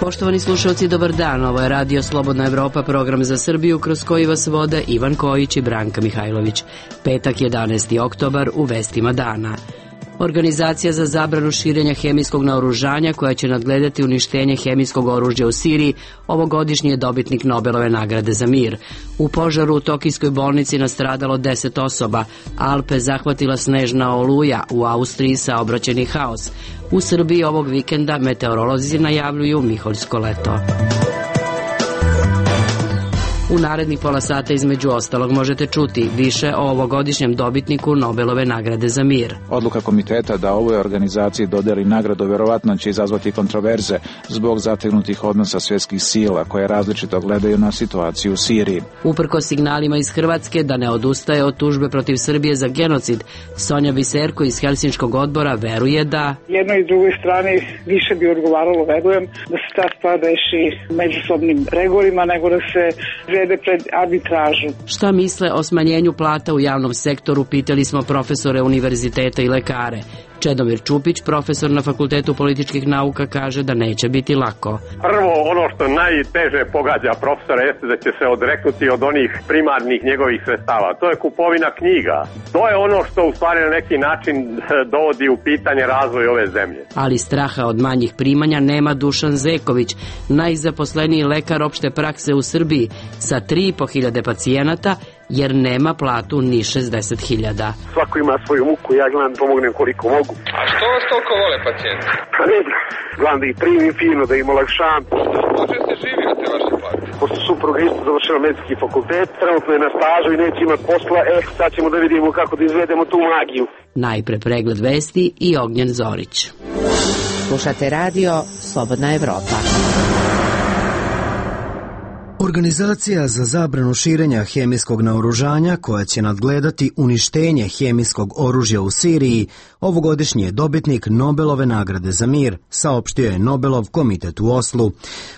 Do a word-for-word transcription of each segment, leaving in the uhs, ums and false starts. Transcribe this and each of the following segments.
Poštovani slušalci, dobar dan. Ovo je Radio Slobodna Evropa, program za Srbiju kroz koji vas vode Ivan Kojić i Branka Mihajlović. Petak, jedanaesti oktobar, u vestima dana. Organizacija za zabranu širenja hemijskog naoružanja, koja će nadgledati uništenje hemijskog oružja u Siriji, ovogodišnji je dobitnik Nobelove nagrade za mir. U požaru u Tokijskoj bolnici nastradalo deset osoba, Alpe zahvatila snežna oluja, u Austriji saobraćajni haos. U Srbiji ovog vikenda meteorolozi najavljuju miholjsko leto. U narednih pola sata između ostalog možete čuti više o ovogodišnjem dobitniku Nobelove nagrade za mir. Odluka komiteta da ovoj organizaciji dodeli nagradu verovatno će izazvati kontroverze zbog zategnutih odnosa svjetskih sila koje različito gledaju na situaciju u Siriji. Uprkos signalima iz Hrvatske da ne odustaje od tužbe protiv Srbije za genocid, Sonja Biserko iz Helsinškog odbora veruje da jednoj i drugoj strani više bi odgovaralo, verujem, da se ta stvar reši međusobnim pregovorima nego da se pred arbitražu. Šta misle o smanjenju plata u javnom sektoru, pitali smo profesore univerziteta i lekare. Čedomir Čupić, profesor na Fakultetu političkih nauka, kaže da neće biti lako. Prvo, ono što najteže pogađa profesora jeste da će se odreknuti od onih primarnih njegovih sredstava. To je kupovina knjiga. To je ono što u stvari na neki način dovodi u pitanje razvoj ove zemlje. Ali straha od manjih primanja nema Dušan Zeković, najzaposleniji lekar opšte prakse u Srbiji, sa tri i po hiljade pacijenata, jer nema platu ni šezdeset hiljada. Svako ima svoju muku, ja gledam pomognem koliko mogu. A što vas toliko vole pacijenti? Pa ne znam, gledam da ih primim fino, da im olakšam. Može se živi na te vaše plate? Pošto supruga isto završila medicinski fakultet, trenutno je na stažu i neće imati posla, eh, sad ćemo da vidimo kako da izvedemo tu magiju. Najpre pregled vesti i Ognjen Zorić. Slušate radio Slobodna Evropa. Organizacija za zabranu širenja hemijskog naoružanja, koja će nadgledati uništenje hemijskog oružja u Siriji, ovogodišnji je dobitnik Nobelove nagrade za mir, saopštio je Nobelov komitet u Oslu.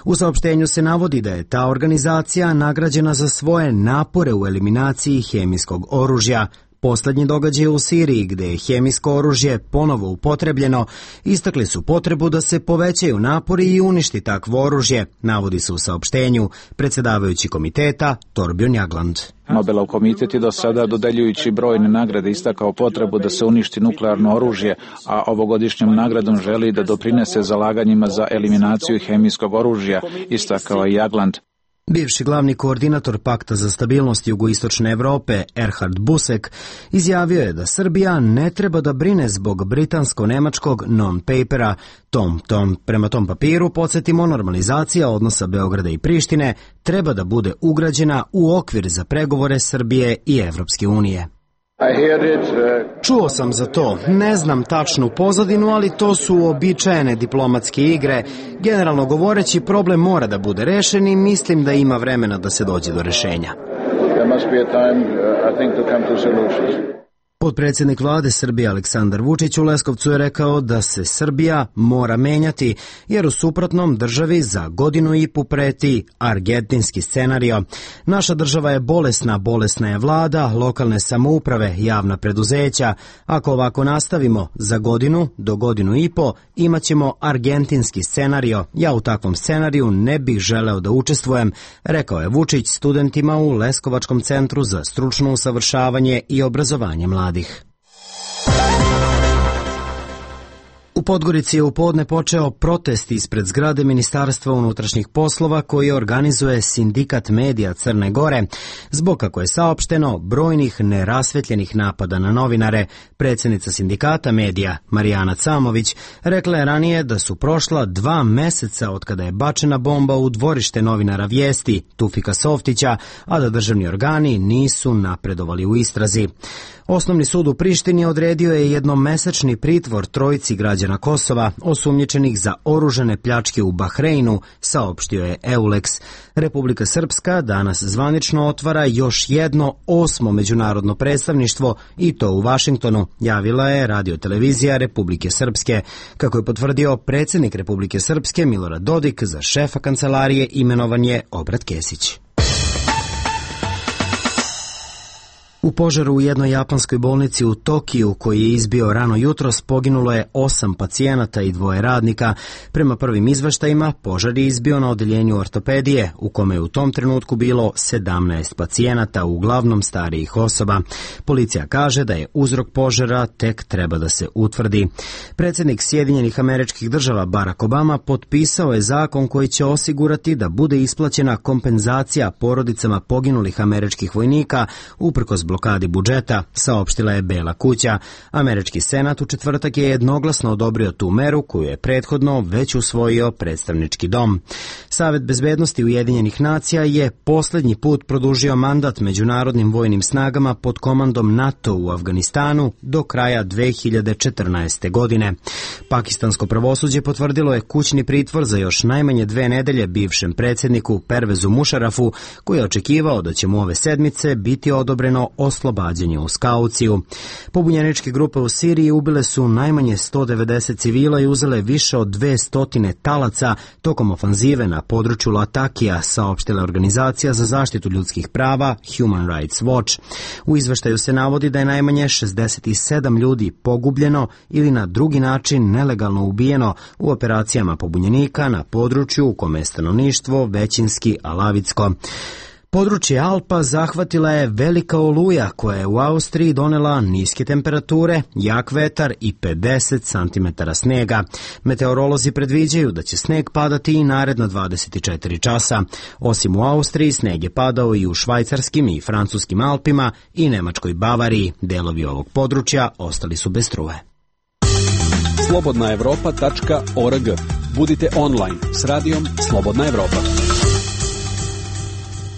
U saopštenju se navodi da je ta organizacija nagrađena za svoje napore u eliminaciji hemijskog oružja. Poslednji događaj u Siriji, gde je hemijsko oružje ponovo upotrebljeno, istakli su potrebu da se povećaju napori i uništi takvo oružje, navodi se u saopštenju predsjedavajući komiteta Torbjörn Jagland. Nobelov komitet je do sada, dodeljujući brojne nagrade, istakao potrebu da se uništi nuklearno oružje, a ovogodišnjom nagradom želi da doprinese zalaganjima za eliminaciju hemijskog oružja, istakao je Jagland. Bivši glavni koordinator Pakta za stabilnost jugoistočne Evrope, Erhard Busek, izjavio je da Srbija ne treba da brine zbog britansko-nemačkog non-papera. Tom, tom, prema tom papiru, podsjetimo, normalizacija odnosa Beograda i Prištine treba da bude ugrađena u okvir za pregovore Srbije i Evropske unije. Čuo sam za to, ne znam tačnu pozadinu, ali to su uobičajene diplomatske igre. Generalno govoreći, problem mora da bude rešen i mislim da ima vremena da se dođe do rešenja. Potpredsjednik vlade Srbije Aleksandar Vučić u Leskovcu je rekao da se Srbija mora menjati, jer u suprotnom državi za godinu i po preti argentinski scenario. Naša država je bolesna, bolesna je vlada, lokalne samouprave, javna preduzeća. Ako ovako nastavimo, za godinu do godinu i po imaćemo argentinski scenario. Ja u takvom scenariju ne bih želeo da učestvujem, rekao je Vučić studentima u Leskovačkom centru za stručno usavršavanje i obrazovanje mladih. U Podgorici je u podne počeo protest ispred zgrade Ministarstva unutrašnjih poslova koji organizuje Sindikat medija Crne Gore zbog, kako je saopšteno, brojnih nerasvetljenih napada na novinare. Predsjednica Sindikata medija Marijana Camović rekla je ranije da su prošla dva meseca od kada je bačena bomba u dvorište novinara Vijesti Tufika Softića, a da državni organi nisu napredovali u istrazi. Osnovni sud u Prištini odredio je jednomesečni pritvor trojici građana Kosova osumnjičenih za oružane pljačke u Bahreinu, saopštio je Eulex. Republika Srpska danas zvanično otvara još jedno osmo međunarodno predstavništvo i to u Vašingtonu, javila je radiotelevizija Republike Srpske. Kako je potvrdio predsjednik Republike Srpske Milorad Dodik, za šefa kancelarije imenovan je Obrat Kesić. U požaru u jednoj japanskoj bolnici u Tokiju, koji je izbio rano jutros, poginulo je osam pacijenata i dvoje radnika. Prema prvim izveštajima, požar je izbio na odeljenju ortopedije, u kome je u tom trenutku bilo sedamnaest pacijenata, uglavnom starijih osoba. Policija kaže da je uzrok požara tek treba da se utvrdi. Predsjednik Sjedinjenih Američkih Država Barack Obama potpisao je zakon koji će osigurati da bude isplaćena kompenzacija porodicama poginulih američkih vojnika uprkos blokadi budžeta, saopštila je Bela kuća. Američki senat u četvrtak je jednoglasno odobrio tu meru koju je prethodno već usvojio predstavnički dom. Savet bezbednosti Ujedinjenih nacija je posljednji put produžio mandat međunarodnim vojnim snagama pod komandom NATO u Afganistanu do kraja dve hiljade četrnaeste. godine. Pakistansko pravosuđe potvrdilo je kućni pritvor za još najmanje dve nedelje bivšem predsjedniku Pervezu Mušarafu, koji je očekivao da će mu ove sedmice biti odobreno oslobađanje uz kauciju. Pobunjeničke grupe u Siriji ubile su najmanje sto devedeset civila i uzele više od dvesta talaca tokom ofanzive na području Latakija, saopštila organizacija za zaštitu ljudskih prava Human Rights Watch. U izveštaju se navodi da je najmanje šezdeset sedam ljudi pogubljeno ili na drugi način nelegalno ubijeno u operacijama pobunjenika na području u kome je stanovništvo većinski alavitsko. Područje Alpa zahvatila je velika oluja koja je u Austriji donela niske temperature, jak vetar i pedeset santimetara snega. Meteorolozi predviđaju da će sneg padati i naredna dvadeset četiri časa. Osim u Austriji, sneg je padao i u švajcarskim i francuskim Alpima i nemačkoj Bavariji. Delovi ovog područja ostali su bez struje. slobodna evropa tačka org. Budite online s radijom Slobodna Evropa.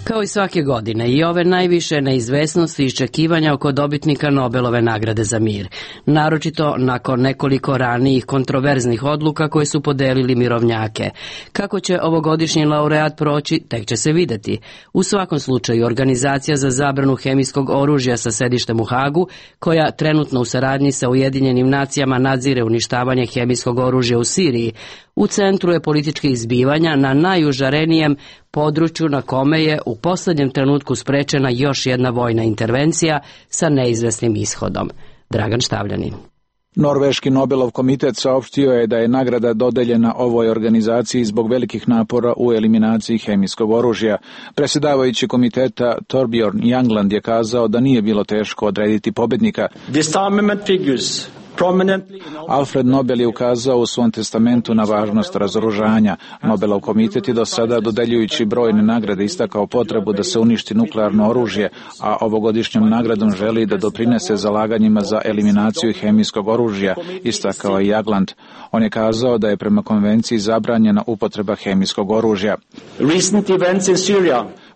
Kao i svake godine, i ove najviše neizvesnosti i iščekivanja oko dobitnika Nobelove nagrade za mir, naročito nakon nekoliko ranijih kontroverznih odluka koje su podelili mirovnjake. Kako će ovogodišnji laureat proći, tek će se videti. U svakom slučaju, Organizacija za zabranu hemijskog oružja sa sedištem u Hagu, koja trenutno u saradnji sa Ujedinjenim nacijama nadzire uništavanje hemijskog oružja u Siriji, u centru je političkih izbivanja na najužarenijem području na kome je u posljednjem trenutku sprečena još jedna vojna intervencija sa neizvesnim ishodom. Dragan Štavljanin. Norveški Nobelov komitet saopštio je da je nagrada dodeljena ovoj organizaciji zbog velikih napora u eliminaciji hemijskog oružja. Predsjedavajući komiteta Torbjorn Jagland je kazao da nije bilo teško odrediti pobednika. Alfred Nobel je ukazao u svom testamentu na važnost razoružanja. Nobelov komitet je do sada, dodeljujući brojne nagrade, istakao potrebu da se uništi nuklearno oružje, a ovogodišnjom nagradom želi da doprinese zalaganjima za eliminaciju hemijskog oružja, istakao je Jagland. On je kazao da je prema konvenciji zabranjena upotreba hemijskog oružja.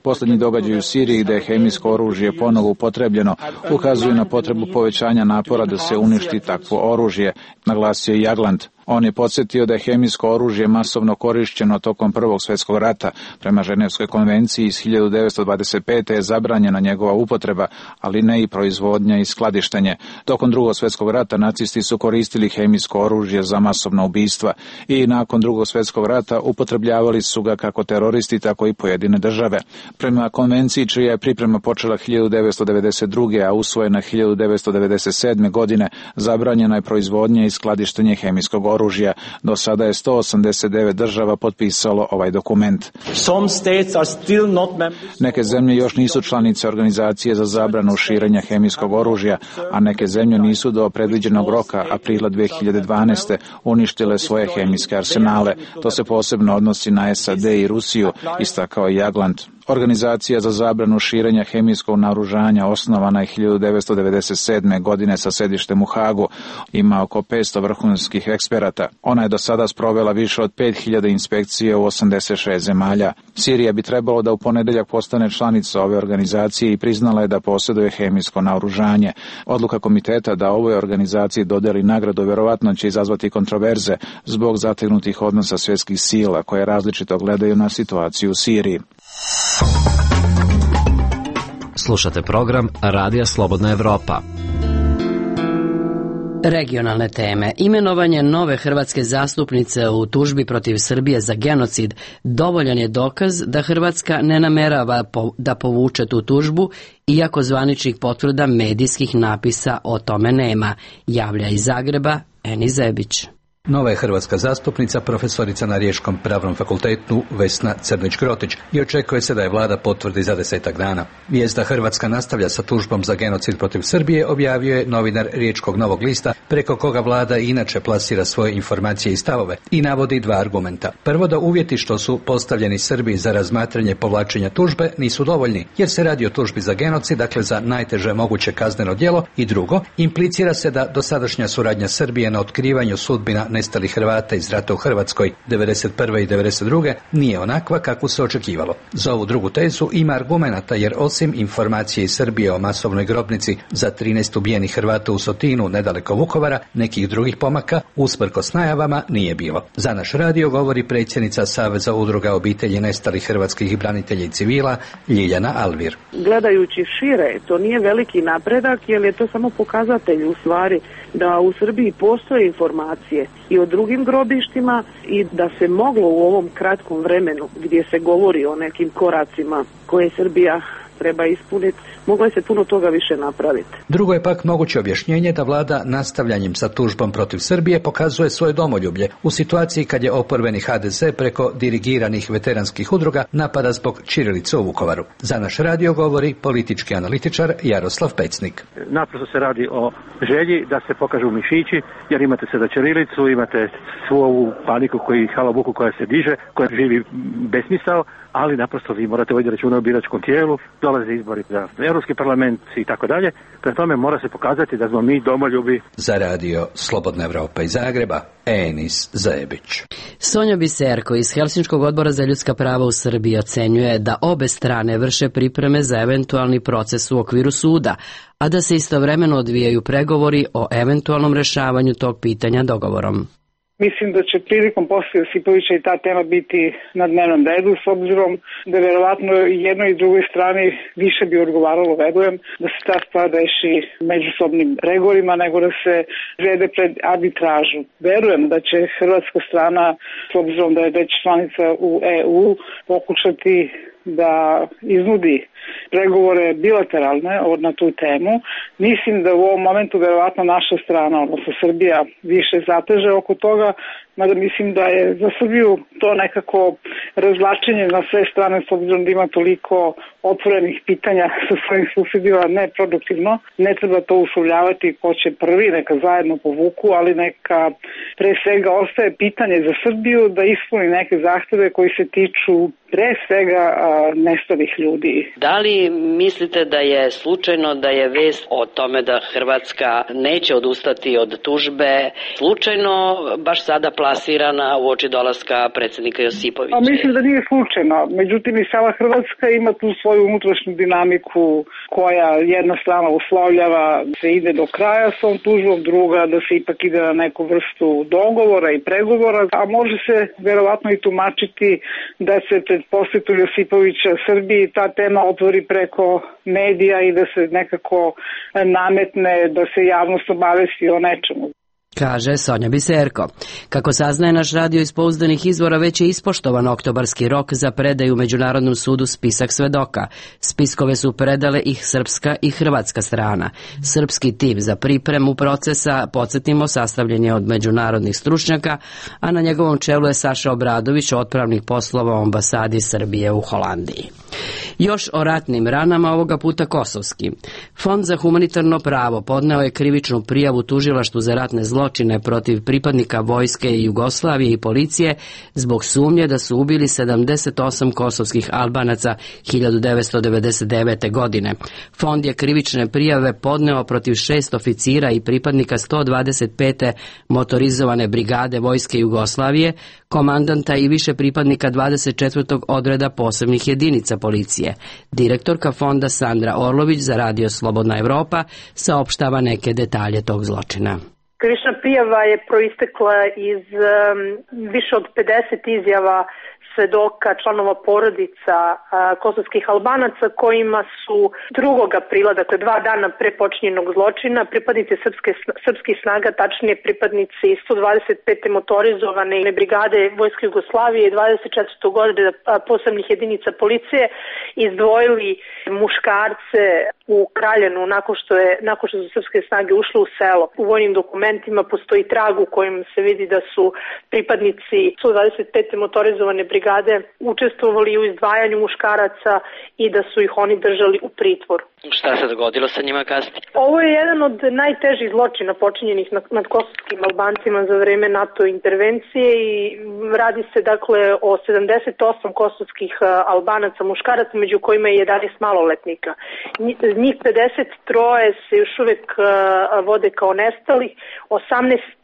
Posljednji događaj u Siriji, gde je hemijsko oružje ponovo upotrebljeno, ukazuju na potrebu povećanja napora da se uništi takvo oružje, naglasio je Jagland. On je podsjetio da je hemijsko oružje masovno korišćeno tokom Prvog svjetskog rata. Prema Ženevskoj konvenciji iz hiljadu devetsto dvadeset pete. je zabranjena njegova upotreba, ali ne i proizvodnja i skladištenje. Tokom Drugog svjetskog rata nacisti su koristili hemijsko oružje za masovna ubistva i nakon Drugog svjetskog rata upotrebljavali su ga kako teroristi, tako i pojedine države. Prema konvenciji, čija je priprema počela hiljadu devetsto devedeset druge. a usvojena hiljadu devetsto devedeset sedme. godine, zabranjena je proizvodnja i skladištenje hemijskog oružja. Do sada je sto osamdeset devet država potpisalo ovaj dokument. Neke zemlje još nisu članice Organizacije za zabranu širenja hemijskog oružja, a neke zemlje nisu do predviđenog roka aprila dve hiljade dvanaeste. uništile svoje hemijske arsenale. To se posebno odnosi na S A D i Rusiju, istakao je Jagland. Organizacija za zabranu širenja hemijskog naoružanja osnovana je hiljadu devetsto devedeset sedme. godine sa sedištem u Hagu. Ima oko petsto vrhunskih eksperata. Ona je do sada sprovela više od pet hiljada inspekcije u osamdeset šest zemalja. Sirija bi trebalo da u ponedeljak postane članica ove organizacije i priznala je da posjeduje hemijsko naoružanje. Odluka komiteta da ovoj organizaciji dodeli nagradu verovatno će izazvati kontroverze zbog zategnutih odnosa svjetskih sila koje različito gledaju na situaciju u Siriji. Slušate program Radija Slobodna Evropa. Regionalne teme. Imenovanje nove hrvatske zastupnice u tužbi protiv Srbije za genocid dovoljan je dokaz da Hrvatska ne namerava da povuče tu tužbu, iako zvaničnih potvrda medijskih napisa o tome nema, javlja iz Zagreba Eni Zebić. Nova je hrvatska zastupnica, profesorica na Riječkom pravnom fakultetu Vesna Crnić-Grotić i očekuje se da je vlada potvrdi za desetak dana. Vijest da Hrvatska nastavlja sa tužbom za genocid protiv Srbije objavio je novinar Riječkog Novog lista, preko koga vlada inače plasira svoje informacije i stavove i navodi dva argumenta. Prvo, da uvjeti što su postavljeni Srbiji za razmatranje povlačenja tužbe nisu dovoljni, jer se radi o tužbi za genocid, dakle za najteže moguće kazneno djelo, i drugo, implicira se da dosadašnja suradnja Srbije na otkrivanju sudbina nestalih Hrvata iz rata u Hrvatskoj devedeset prve i devedeset druge nije onakva kakvu se očekivalo. Za ovu drugu tezu ima argumenata, jer osim informacije iz Srbije o masovnoj grobnici za trinaest ubijenih Hrvata u Sotinu nedaleko Vukovara, nekih drugih pomaka usprkos najavama nije bilo. Za naš radio govori predsjednica Saveza udruga obitelji nestalih hrvatskih branitelja i civila Ljiljana Alvir. Gledajući šire, to nije veliki napredak, jer je to samo pokazatelj u stvari da u Srbiji postoje informacije i o drugim grobištima i da se moglo u ovom kratkom vremenu gdje se govori o nekim koracima koje Srbija treba ispuniti, moglo je se puno toga više napraviti. Drugo je pak moguće objašnjenje da vlada nastavljanjem sa tužbom protiv Srbije pokazuje svoje domoljublje u situaciji kad je oporbeni ha de ze preko dirigiranih veteranskih udruga napada zbog ćirilice u Vukovaru. Za naš radio govori politički analitičar Jaroslav Pecnik. Naprosto se radi o želji da se pokažu mišići, jer imate sada ćirilicu, imate svu ovu paniku koji halabuku koja se diže, koja živi besmisao, ali naprosto vi morate voditi računa o biračkom tijelu, dolaze izbori za Europski parlament i tako dalje. Prema tome mora se pokazati da smo mi domoljubi. Za radio Slobodna Evropa iz Zagreba, Enis Zebić. Sonja Biserko iz Helsinškog odbora za ljudska prava u Srbiji ocenjuje da obe strane vrše pripreme za eventualni proces u okviru suda, a da se istovremeno odvijaju pregovori o eventualnom rešavanju tog pitanja dogovorom. Mislim da će prilikom posle Josipovića i ta tema biti na dnevnom redu, s obzirom da verovatno jednoj i drugoj strani više bi odgovaralo, verujem, da se ta stvar reši međusobnim pregovorima nego da se vede pred arbitražu. Verujem da će hrvatska strana, s obzirom da je već članica u e u, pokušati da iznudi pregovore bilateralne na tu temu. Mislim da u ovom momentu verovatno naša strana, odnosno Srbija, više zateže oko toga, mada mislim da je za Srbiju to nekako razvlačenje na sve strane, s obzirom da ima toliko otvorenih pitanja sa svojim susedima, neproduktivno. Ne treba to uslovljavati ko će prvi, neka zajedno povuku, ali neka pre svega ostaje pitanje za Srbiju da ispuni neke zahteve koji se tiču pre svega a, nestalih ljudi. Da li mislite da je slučajno da je vest o tome da Hrvatska neće odustati od tužbe slučajno baš sada plasirana u oči dolaska predsjednika Josipovića? A mislim da nije slučajno. Međutim, i sama Hrvatska ima tu svoju unutrašnju dinamiku koja jedna strana uslovljava da se ide do kraja s ovom tužbom, druga da se ipak ide na neku vrstu dogovora i pregovora, a može se verovatno i tumačiti da se pred posjetu Josipovića Srbiji ta tema otvori preko medija i da se nekako nametne, da se javnost obavesti o nečemu. Kaže Sonja Biserko. Kako saznaje naš radio iz pouzdanih izvora, već je ispoštovan oktobarski rok za predaju Međunarodnom sudu spisak svedoka. Spiskove su predale i srpska i hrvatska strana. Srpski tim za pripremu procesa, podsjetimo, sastavljen je od međunarodnih stručnjaka, a na njegovom čelu je Saša Obradović, otpravnik poslova u ambasadi Srbije u Holandiji. Još o ratnim ranama, ovoga puta kosovski. Fond za humanitarno pravo podneo je krivičnu prijavu tužilaštvu za ratne zločine protiv pripadnika vojske i Jugoslavije i policije zbog sumnje da su ubili sedamdeset osam kosovskih Albanaca hiljadu devetsto devedeset devete. godine. Fond je krivične prijave podneo protiv šest oficira i pripadnika sto dvadeset pete motorizovane brigade vojske Jugoslavije, komandanta i više pripadnika dvadeset četvrtog odreda posebnih jedinica policije. Direktorka fonda Sandra Orlović za radio Slobodna Evropa saopštava neke detalje tog zločina. Krivična prijava je proistekla iz um, više od pedeset izjava svedoka, članova porodica a, kosovskih Albanaca kojima su drugog aprila, dakle dva dana pre počinjenog zločina, pripadnici srpske, srpskih snaga, tačnije pripadnici sto dvadeset pete motorizovane brigade Vojske Jugoslavije i dvadeset četvrte godine posebnih jedinica policije izdvojili muškarce u Kraljanu nakon što, je, nakon što su srpske snage ušle u selo. U vojnim dokumentima postoji trag u kojem se vidi da su pripadnici sto dvadeset pete motorizovane brigade učestvovali u izdvajanju muškaraca i da su ih oni držali u pritvoru. Šta se dogodilo sa njima kasnije? Ovo je jedan od najtežih zločina počinjenih nad kosovskim Albancima za vreme NATO intervencije i radi se dakle o sedamdeset osam kosovskih Albanaca muškaraca, među kojima je jedanaest maloletnika. Njih pedeset tri se još uvek vode kao nestali, osamnaest,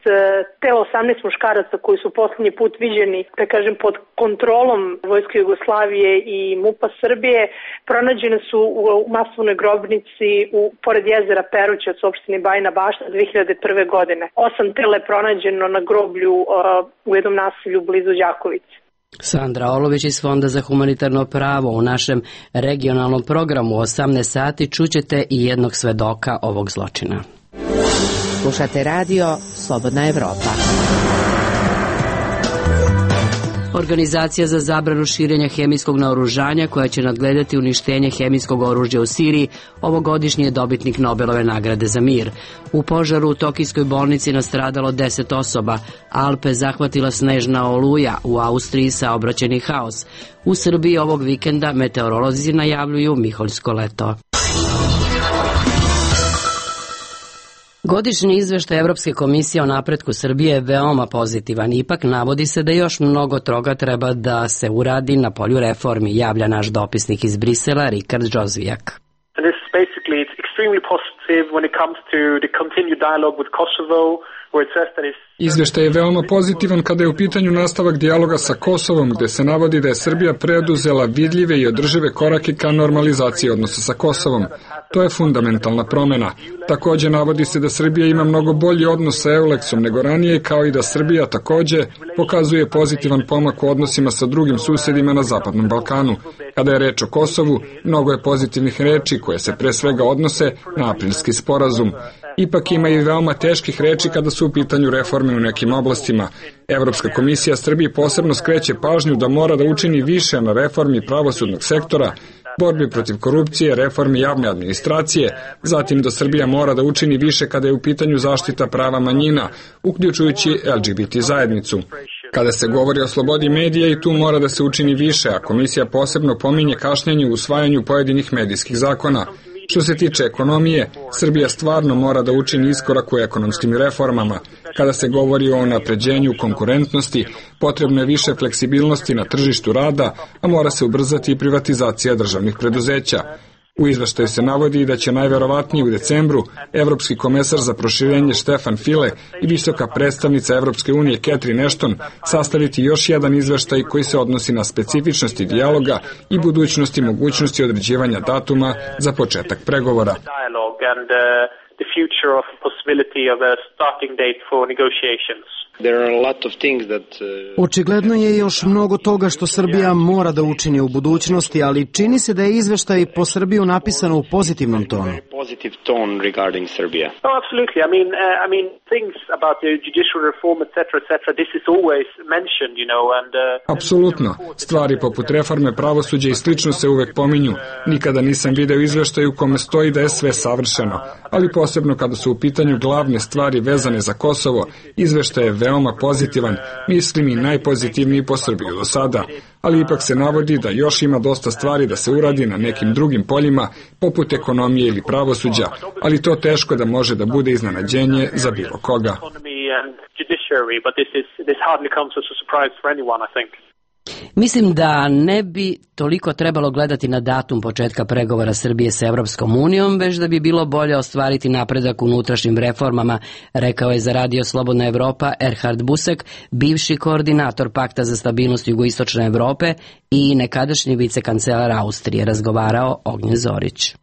te osamnaest muškaraca koji su poslednji put viđeni, da kažem, pod kontrolom Vojske Jugoslavije i MUP-a Srbije, pronađene su u masovnoj grobnici u, pored jezera Perućac u opštini Bajina Bašta dve hiljade prve. godine. Osam tela je pronađeno na groblju uh, u jednom naselju blizu Đakovice. Sandra Olović iz Fonda za humanitarno pravo. U našem regionalnom programu u osamnaest sati čućete i jednog svedoka ovog zločina. Slušate radio Slobodna Evropa. Organizacija za zabranu širenja hemijskog naoružanja koja će nadgledati uništenje hemijskog oružja u Siriji ovogodišnji je dobitnik Nobelove nagrade za mir. U požaru u Tokijskoj bolnici nastradalo deset osoba, Alpe zahvatila snežna oluja, u Austriji saobraćajni haos. U Srbiji ovog vikenda meteorolozi najavljuju miholjsko leto. Godišnji izveštaj Evropske komisije o napretku Srbije je veoma pozitivan, ipak navodi se da još mnogo toga treba da se uradi na polju reformi, javlja naš dopisnik iz Brisela Rikard Džozvijak. Izveštaj je veoma pozitivan kada je u pitanju nastavak dijaloga sa Kosovom, gde se navodi da je Srbija preduzela vidljive i održive korake ka normalizaciji odnosa sa Kosovom. To je fundamentalna promena. Takođe navodi se da Srbija ima mnogo bolji odnos sa Euleksom nego ranije, kao i da Srbija takođe pokazuje pozitivan pomak u odnosima sa drugim susedima na Zapadnom Balkanu. Kada je reč o Kosovu, mnogo je pozitivnih reči koje se pre svega odnose na aprilski sporazum. Ipak ima i veoma teških reči kada su u pitanju reforme u nekim oblastima. Evropska komisija Srbiji posebno skreće pažnju da mora da učini više na reformi pravosudnog sektora, borbi protiv korupcije, reformi javne administracije, zatim da Srbija mora da učini više kada je u pitanju zaštita prava manjina, uključujući L G B T zajednicu. Kada se govori o slobodi medija i tu mora da se učini više, a komisija posebno pominje kašnjenje u usvajanju pojedinih medijskih zakona. Što se tiče ekonomije, Srbija stvarno mora da učini iskorak u ekonomskim reformama. Kada se govori o napređenju konkurentnosti, potrebno je više fleksibilnosti na tržištu rada, a mora se ubrzati i privatizacija državnih preduzeća. U izveštaju se navodi da će najverovatnije u decembru Evropski komesar za proširenje Štefan File i visoka predstavnica Evropske unije Catherine Ashton sastaviti još jedan izveštaj koji se odnosi na specifičnosti dijaloga i budućnosti mogućnosti određivanja datuma za početak pregovora. Očigledno je još mnogo toga što Srbija mora da učini u budućnosti, ali čini se da je izveštaj po Srbiju napisano u pozitivnom tonu. Apsolutno. Stvari poput reforme pravosuđa i slično se uvek pominju. Nikada nisam video izveštaj u kome stoji da je sve savršeno, ali posebno kada su u pitanju glavne stvari vezane za Kosovo, izveštaj je veoma pozitivan, mislim i najpozitivniji po Srbiju do sada, ali ipak se navodi da još ima dosta stvari da se uradi na nekim drugim poljima, poput ekonomije ili pravosuđa, ali to teško da može da bude iznenađenje za bilo koga. Mislim da ne bi toliko trebalo gledati na datum početka pregovora Srbije sa Evropskom unijom, već da bi bilo bolje ostvariti napredak u unutrašnjim reformama, rekao je za Radio Slobodna Evropa Erhard Busek, bivši koordinator Pakta za stabilnost jugoistočne Evrope i nekadašnji vicekancelar Austrije, razgovarao Ognjen Zorić.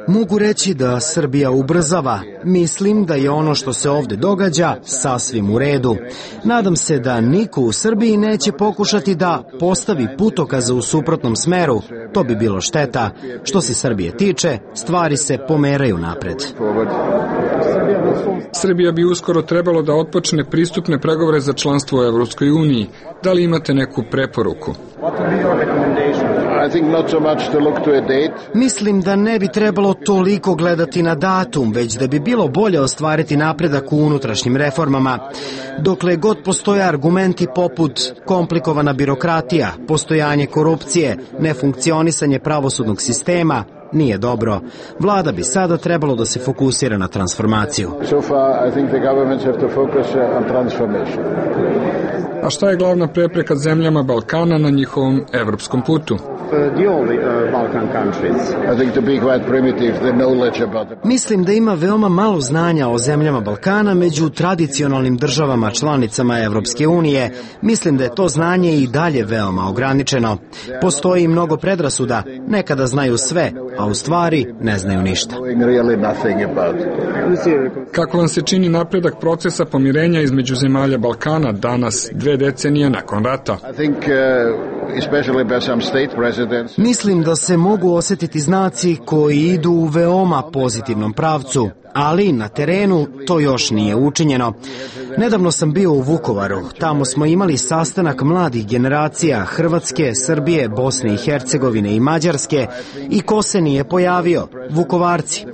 Mogu reći da Srbija ubrzava. Mislim da je ono što se ovde događa sasvim u redu. Nadam se da niko u Srbiji neće pokušati da postavi putokaze u suprotnom smeru. To bi bilo šteta. Što se Srbije tiče, stvari se pomeraju napred. Srbija bi uskoro trebalo da otpočne pristupne pregovore za članstvo u Evropskoj uniji. Da li imate neku preporuku? Mislim da ne bi trebalo toliko gledati na datum, već da bi bilo bolje ostvariti napredak u unutrašnjim reformama. Dokle god postoje argumenti poput komplikovana birokratija, postojanje korupcije, nefunkcionisanje pravosudnog sistema, nije dobro. Vlada bi sada trebalo da se fokusira na transformaciju. A šta je glavna prepreka zemljama Balkana na njihovom evropskom putu? Mislim da ima veoma malo znanja o zemljama Balkana među tradicionalnim državama članicama Evropske unije. Mislim da je to znanje i dalje veoma ograničeno. Postoji mnogo predrasuda, nekada znaju sve, a u stvari ne znaju ništa. Kako vam se čini napredak procesa pomirenja između zemalja Balkana danas, dve decenije nakon rata? Mislim da se mogu osjetiti znaci koji idu u veoma pozitivnom pravcu, ali na terenu to još nije učinjeno. Nedavno sam bio u Vukovaru. Tamo smo imali sastanak mladih generacija Hrvatske, Srbije, Bosne i Hercegovine i Mađarske i ko se nije pojavio? Vukovarci.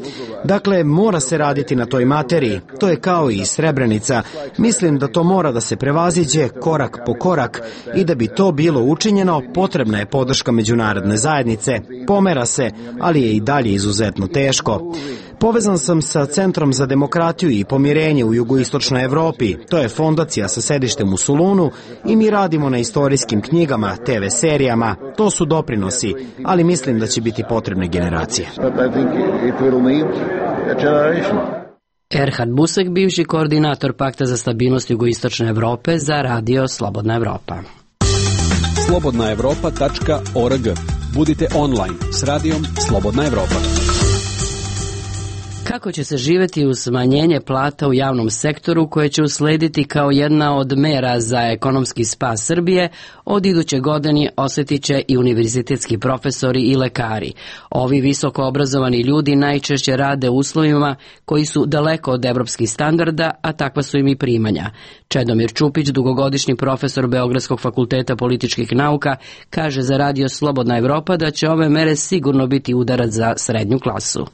Dakle, mora se raditi na toj materiji. To je kao i Srebrenica. Mislim da to mora da se prevaziđe korak po korak i da bi to bilo učinjeno, potrebna je podrška međunarodne zajednice. Pomera se, ali je i dalje izuzetno teško. Povezan sam sa Centrom za demokratiju i pomirenje u jugoistočnoj Evropi. To je fondacija sa sedištem u Solunu i mi radimo na istorijskim knjigama, te ve serijama. To su doprinosi, ali mislim da će biti potrebne generacije. Erhard Busek, bivši koordinator Pakta za stabilnost jugoistočne Evrope za radio Slobodna Evropa. slobodna evropa tačka org. Budite online s radijom Slobodna Evropa. Kako će se živeti uz smanjenje plata u javnom sektoru koje će uslediti kao jedna od mera za ekonomski spas Srbije, od iduće godine osjetit će i univerzitetski profesori i lekari. Ovi visoko obrazovani ljudi najčešće rade u uslovima koji su daleko od evropskih standarda, a takva su im i primanja. Čedomir Čupić, dugogodišnji profesor Beogradskog fakulteta političkih nauka, kaže za radio Slobodna Evropa da će ove mere sigurno biti udarac za srednju klasu.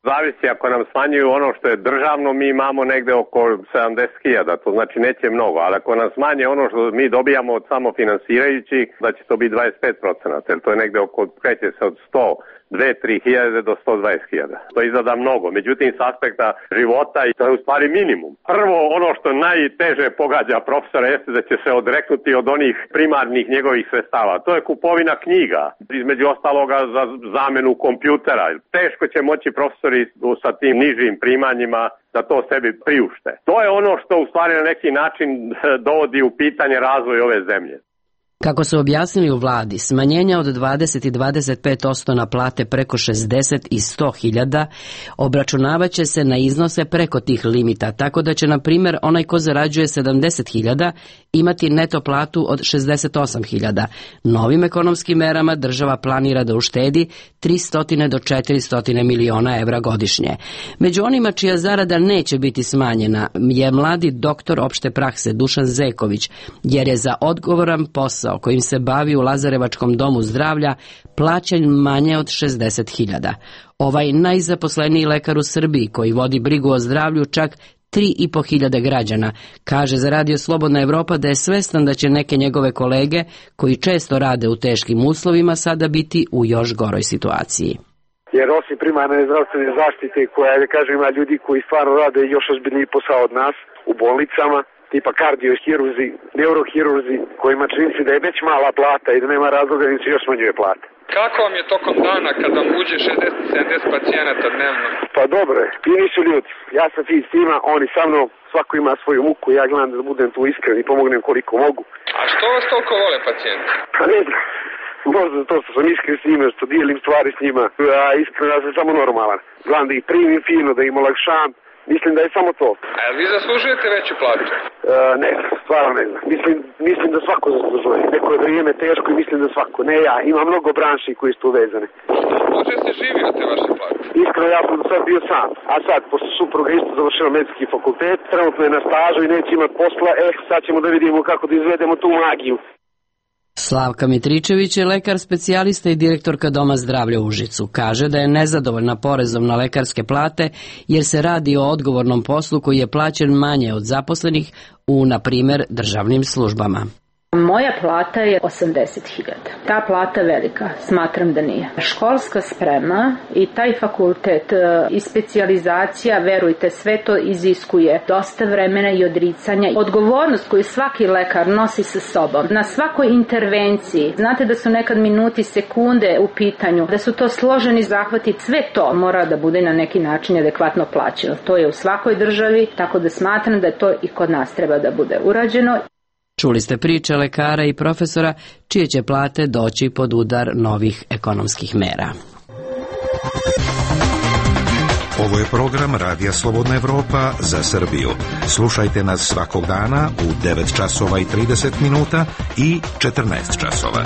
Zavisi, ako nam smanjuju ono što je državno, mi imamo negde oko sedamdeset hiljada, to znači neće mnogo, ali ako nam smanje ono što mi dobijamo od samofinansirajućih, da će to biti dvadeset pet procenata, jer to je negde oko, kreće se od sto, dve, tri hiljade do sto dvadeset hiljada. To izgleda mnogo, međutim s aspekta života i to je u stvari minimum. Prvo, ono što najteže pogađa profesora jeste da će se odreknuti od onih primarnih njegovih sredstava. To je kupovina knjiga, između ostaloga za zamenu kompjutera. Teško će moći profesori sa tim nižim primanjima da to sebi priušte. To je ono što u stvari na neki način dovodi u pitanje razvoj ove zemlje. Kako su objasnili u vladi, smanjenja od dvadeset i dvadeset pet posto na plate preko šezdeset i sto hiljada obračunavaće se na iznose preko tih limita, tako da će, na primjer, onaj ko zarađuje sedamdeset hiljada imati neto platu od šezdeset osam hiljada. Novim ekonomskim merama država planira da uštedi tristo do četiristo miliona evra godišnje. Među onima čija zarada neće biti smanjena je mladi doktor opšte prakse Dušan Zeković, jer je za odgovoran posao kojim se bavi u Lazarevačkom domu zdravlja plaćen manje od šezdeset hiljada. Ovaj najzaposleniji lekar u Srbiji, koji vodi brigu o zdravlju čak tri i po hiljade građana, kaže za radio Slobodna Evropa da je svestan da će neke njegove kolege, koji često rade u teškim uslovima, sada biti u još goroj situaciji. Jer osim primarne zdravstvene zaštite, koja, da kažem, ima ljudi koji stvarno rade još ozbiljniji posao od nas u bolnicama, tipa kardiohirurzi, neurohirurzi, kojima čini se da je već mala plata i da nema razloga da im se još smanjuje plata. Kako vam je tokom dana kada vam uđe šezdeset sedamdeset pacijenata dnevno? Pa dobro je, fini su ljudi. Ja sam fin s tima, oni sa mnom, svako ima svoju muku, ja gledam da budem tu iskren i pomognem koliko mogu. A što vas toliko vole pacijenti? Pa ne znam, Možda to što sam iskren s njima, što dijelim stvari s njima, a iskreno ja sam samo normalan. Gledam da ih primim fino, da im olakšam. Mislim da je samo to. A vi zaslužujete veću plaću? E, ne znam, stvarno ne znam. Mislim, mislim da svako zaslužuje. Neko je vrijeme teško i mislim da svako. Ne ja, ima mnogo branši koji su tu vezane. Može se živi od te vaše plate? Iskreno, ja sam do sad bio sam. A sad, pošto supruga isto završila medicinski fakultet, trenutno je na stažu i neće imati posla, eh, sad ćemo da vidimo kako da izvedemo tu magiju. Slavka Mitričević je lekar specijalista i direktorka Doma zdravlja u Užicu. Kaže da je nezadovoljna porezom na lekarske plate jer se radi o odgovornom poslu koji je plaćen manje od zaposlenih u, na primjer, državnim službama. Moja plata je osamdeset hiljada. Ta plata velika, smatram da nije. Školska sprema i taj fakultet i specijalizacija, verujte, sve to iziskuje dosta vremena i odricanja. Odgovornost koju svaki lekar nosi sa sobom na svakoj intervenciji. Znate da su nekad minuti, sekunde u pitanju, da su to složeni zahvati. Sve to mora da bude na neki način adekvatno plaćeno. To je u svakoj državi, tako da smatram da to i kod nas treba da bude urađeno. Čuli ste priče lekara i profesora čije će plate doći pod udar novih ekonomskih mera. Ovo je program Radija Slobodna Evropa za Srbiju. Slušajte nas svakog dana u devet časova i trideset minuta i četrnaest časova.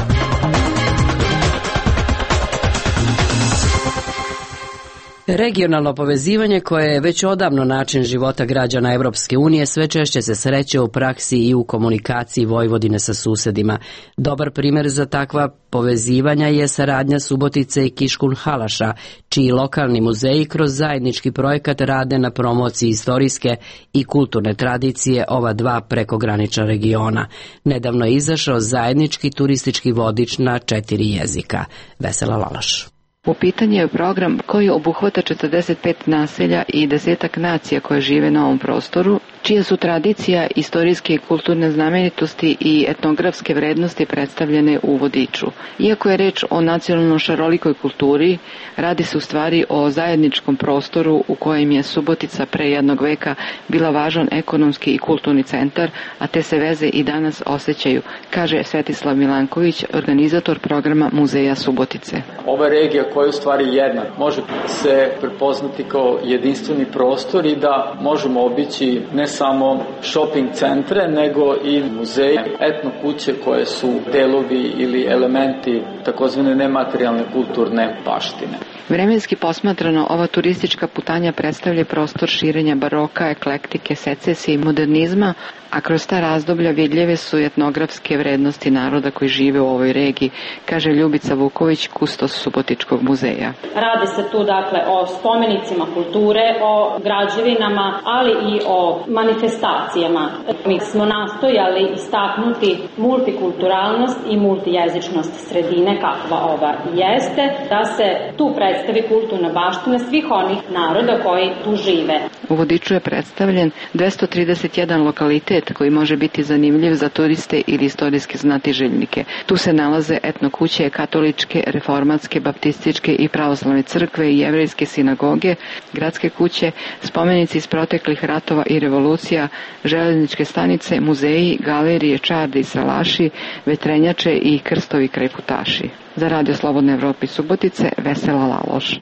Regionalno povezivanje, koje je već odavno način života građana Evropske unije, sve češće se sreće u praksi i u komunikaciji Vojvodine sa susedima. Dobar primjer za takva povezivanja je saradnja Subotice i Kiškunhalaša, čiji lokalni muzeji kroz zajednički projekat rade na promociji istorijske i kulturne tradicije ova dva prekogranična regiona. Nedavno je izašao zajednički turistički vodič na četiri jezika. Vesela Lalaš. U pitanju je program koji obuhvata četrdeset pet naselja i desetak nacija koje žive na ovom prostoru, čije su tradicija, istorijske i kulturne znamenitosti i etnografske vrednosti predstavljene u vodiču. Iako je reč o nacionalno šarolikoj kulturi, radi se u stvari o zajedničkom prostoru u kojem je Subotica pre jednog veka bila važan ekonomski i kulturni centar, a te se veze i danas osjećaju, kaže Svetislav Milanković, organizator programa Muzeja Subotice. Ova regija koja je u stvari jedna, može se prepoznati kao jedinstveni prostor i da možemo obići ne samo shopping centre, nego i muzeje, etno kuće koje su delovi ili elementi takozvane nematerijalne kulturne baštine. Vremenski posmatrano, ova turistička putanja predstavlja prostor širenja baroka, eklektike, secesije i modernizma, a kroz ta razdoblja vidljive su etnografske vrednosti naroda koji žive u ovoj regiji, kaže Ljubica Vuković, kustos Subotičkog muzeja. Radi se tu dakle o spomenicima kulture, o građevinama, ali i o manifestacijama. Mi smo nastojali istaknuti multikulturalnost i multijezičnost sredine kakva ova jeste, da se tu predstavi kulturna baština svih onih naroda koji tu žive. U vodiču je predstavljen dvesta trideset jedan lokalitet koji može biti zanimljiv za turiste ili istorijske znatiželjnike. Tu se nalaze etno kuće, katoličke, reformatske, baptističke i pravoslavne crkve i jevrejske sinagoge, gradske kuće, spomenici iz proteklih ratova i revolucija, železničke stanice, muzeji, galerije, čardi i salaši, vetrenjače i krstovi kraj Putaši. Za Radio Slobodne Evrope Subotice, Vesela Laloš.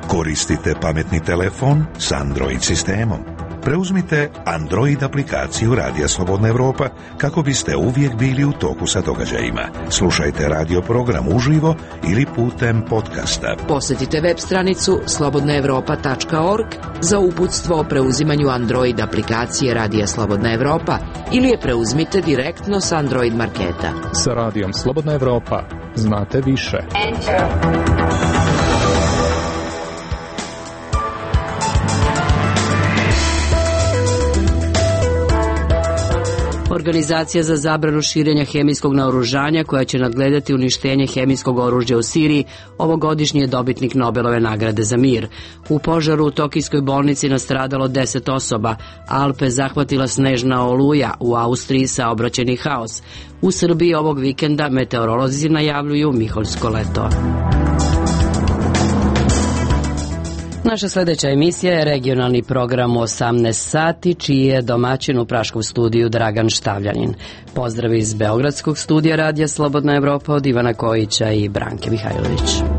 Koristite pametni telefon s Android sistemom. Preuzmite Android aplikaciju Radija Slobodna Evropa kako biste uvijek bili u toku sa događajima. Slušajte radio program uživo ili putem podcasta. Posjetite web stranicu slobodna evropa tačka org za uputstvo o preuzimanju Android aplikacije Radija Slobodna Evropa ili je preuzmite direktno s Android marketa. Sa Radijom Slobodna Evropa znate više. Enter. Organizacija za zabranu širenja hemijskog naoružanja, koja će nadgledati uništenje hemijskog oružja u Siriji, ovogodišnji je dobitnik Nobelove nagrade za mir. U požaru u Tokijskoj bolnici nastradalo deset osoba, Alpe zahvatila snežna oluja, u Austriji saobraćajni haos. U Srbiji ovog vikenda meteorolozi najavljuju miholjsko leto. Naša sledeća emisija je regionalni program u osamnaest sati, čiji je domaćin u praškom studiju Dragan Štavljanin. Pozdrav iz Beogradskog studija Radija Slobodna Evropa od Ivana Kojića i Branke Mihajlović.